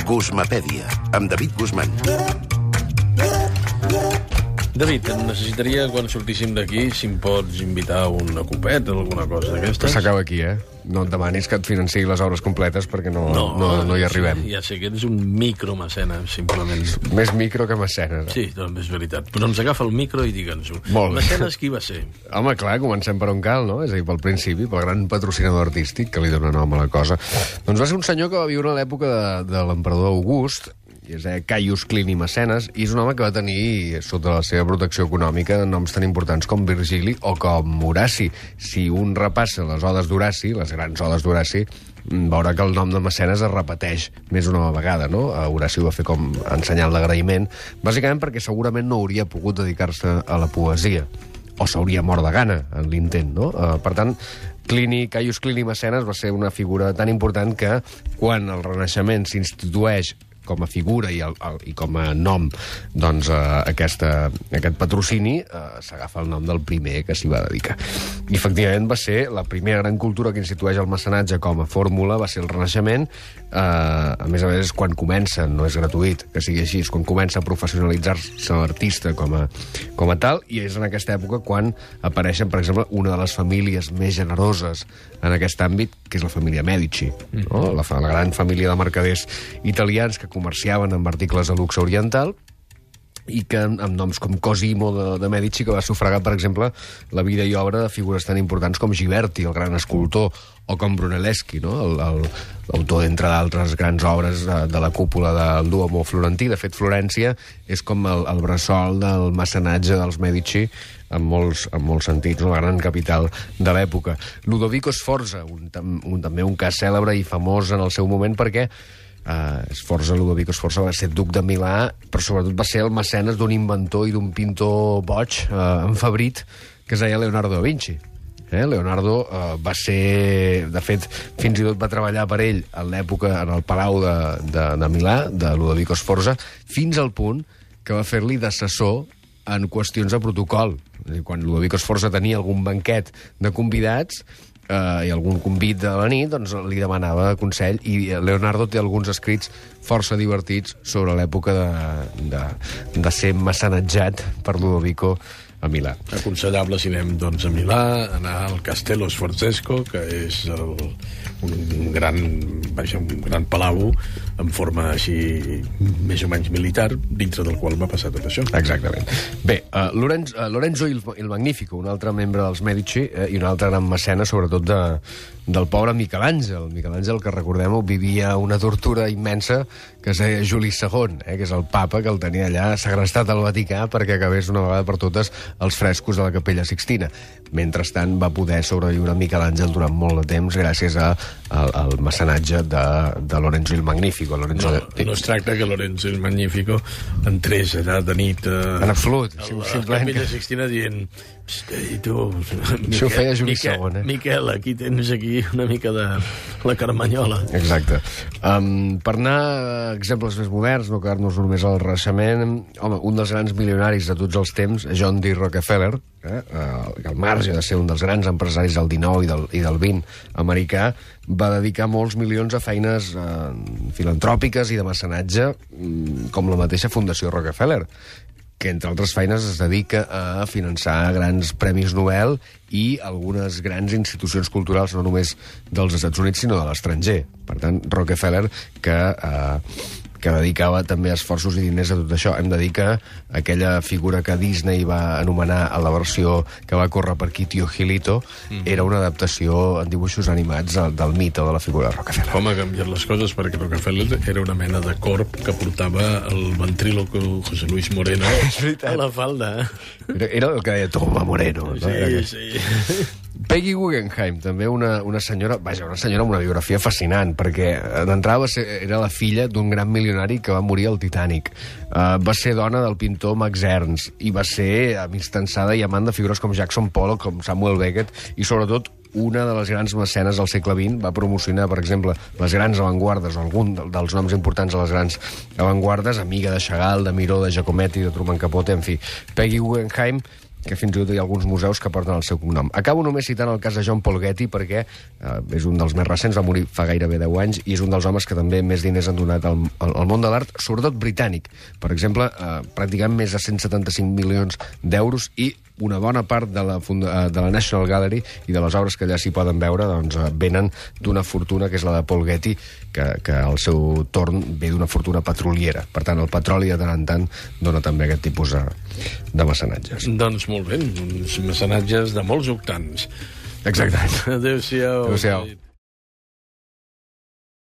Guzmapèdia, amb David Guzmán. David, necessitaria, quan sortíssim d'aquí, si em pots invitar a una copeta o alguna cosa d'aquestes. S'acaba aquí, eh? No et demanis que et financi les obres completes perquè no hi arribem. Ja sé que ets un micromecenes, simplement. Més micro que mecenes. Sí, també és veritat. Però ens agafa el micro i digue'ns-ho. Molt bé. Mecenes qui va ser? Home, clar, comencem per on cal, no? És a dir, pel principi, pel gran patrocinador artístic que li dona nom a la cosa. Doncs va ser un senyor que va viure a l'època de l'emperador August, i és Caius Clini Mecenes, i és un home que va tenir, sota la seva protecció econòmica, noms tan importants com Virgili o com Horaci. Si un repassa les odes d'Horaci, les grans odes d'Horaci, veurà que el nom de Mecenes es repeteix més una vegada, no? Horaci ho va fer com ensenyant l'agraïment, bàsicament perquè segurament no hauria pogut dedicar-se a la poesia, o s'hauria mort de gana en l'intent, no? Per tant, Caius Clini Mecenes va ser una figura tan important que quan el Renaixement s'institueix com a figura i com a nom, doncs aquest patrocini s'agafa el nom del primer que s'hi va dedicar. I efectivament va ser la primera gran cultura que institueix el mecenatge com a fórmula, va ser el Renaixement. A més, quan comença, no és gratuït que sigui així, és quan comença a professionalitzar-se l'artista com a tal, i és en aquesta època quan apareixen, per exemple, una de les famílies més generoses en aquest àmbit, que és la família Medici, no? La gran família de mercaders italians que comerciaven amb articles de luxe oriental i que amb noms com Cosimo de Medici, que va sufragar, per exemple, la vida i obra de figures tan importants com Ghiberti, el gran escultor, o com Brunelleschi, no? L'autor, entre d'altres grans obres de la cúpula del Duomo florentí. De fet, Florència és com el bressol del mecenatge dels Medici en molts sentits, la gran capital de l'època. Ludovico Sforza, també un cas cèlebre i famós en el seu moment perquè Ludovico Sforza va ser duc de Milà, però sobretot va ser el mecenes d'un inventor i d'un pintor boig, enfebrit, que es deia Leonardo da Vinci. Leonardo va ser... De fet, fins i tot va treballar per ell en l'època, en el palau de Milà, de Ludovico Sforza, fins al punt que va fer-li d'assessor en qüestions de protocol. Quan Ludovico Sforza tenia algun banquet de convidats i algun convit de la nit, doncs li demanava consell, i Leonardo té alguns escrits força divertits sobre l'època de ser mecenatjat per Ludovico a Milà. Aconsellable, si anem doncs, a Milà, anar al Castello Sforzesco, que és un gran palau en forma així més o menys militar, dintre del qual va passar tot això. Exactament. Bé, Lorenzo il Magnifico, un altre membre dels Medici i un altre gran mecenes, sobretot del pobre Miquel Àngel. Miquel Àngel, que recordem-ho, vivia una tortura immensa que es deia Juli II, que és el papa que el tenia allà segrestat al Vaticà perquè acabés una vegada per totes els frescos de la Capella Sixtina. Mentrestant va poder sobreviure Miquel Àngel durant molt de temps gràcies al mecenatge de Lorenzo il Magnifico. No es tracta que Lorenzo il Magnifico entrés allà de nit en absolut, a la Capella Sixtina dient i tu... Això ho feia Juli II, Miquel, aquí tens una mica de la Carmanyola. Exacte. Per anar a exemples més moderns, no quedar-nos només al Renaixement, home, un dels grans milionaris de tots els temps, John D. Rockefeller, que al marge de ser un dels grans empresaris del XIX i del XX americà, va dedicar molts milions a feines filantròpiques i de mecenatge, com la mateixa Fundació Rockefeller, que, entre altres feines, es dedica a finançar grans premis Nobel i algunes grans institucions culturals, no només dels Estats Units, sinó de l'estranger. Per tant, Rockefeller, que dedicava també esforços i diners a tot això. Hem de dir que aquella figura que Disney va anomenar a la versió que va córrer per Kitty Gilito era una adaptació en dibuixos animats del mite de la figura de Rockefeller. Com ha canviat les coses, perquè Rockefeller era una mena de corp que portava el ventríloco José Luis Moreno a la falda. Era el que deia Toma Moreno. Sí. Peggy Guggenheim, també una senyora amb una biografia fascinant, perquè d'entrada era la filla d'un gran milionari que va morir al Titanic. Va ser dona del pintor Max Ernst i va ser amistançada i amant de figures com Jackson Pollock, com Samuel Beckett, i sobretot una de les grans mecenes del segle XX. Va promocionar, per exemple, les grans avantguardes, o algun dels noms importants de les grans avantguardes, amiga de Chagall, de Miró, de Giacometti, de Truman Capote, en fi. Peggy Guggenheim que fins i tot hi ha alguns museus que porten el seu cognom. Acabo només citant el cas de John Paul Getty, perquè és un dels més recents, va morir fa gairebé 10 anys, i és un dels homes que també més diners han donat al món de l'art, sobretot britànic. Per exemple, pràcticament més de 175 milions d'euros, i una bona part de la National Gallery i de les obres que allà s'hi poden veure doncs, venen d'una fortuna que és la de Paul Getty, que al seu torn ve d'una fortuna petroliera. Per tant, el petroli de tant en tant dona també aquest tipus de mecenatges. Doncs molt bé, uns mecenatges de molts octans. Exacte. Adéu-siau. Adéu-siau.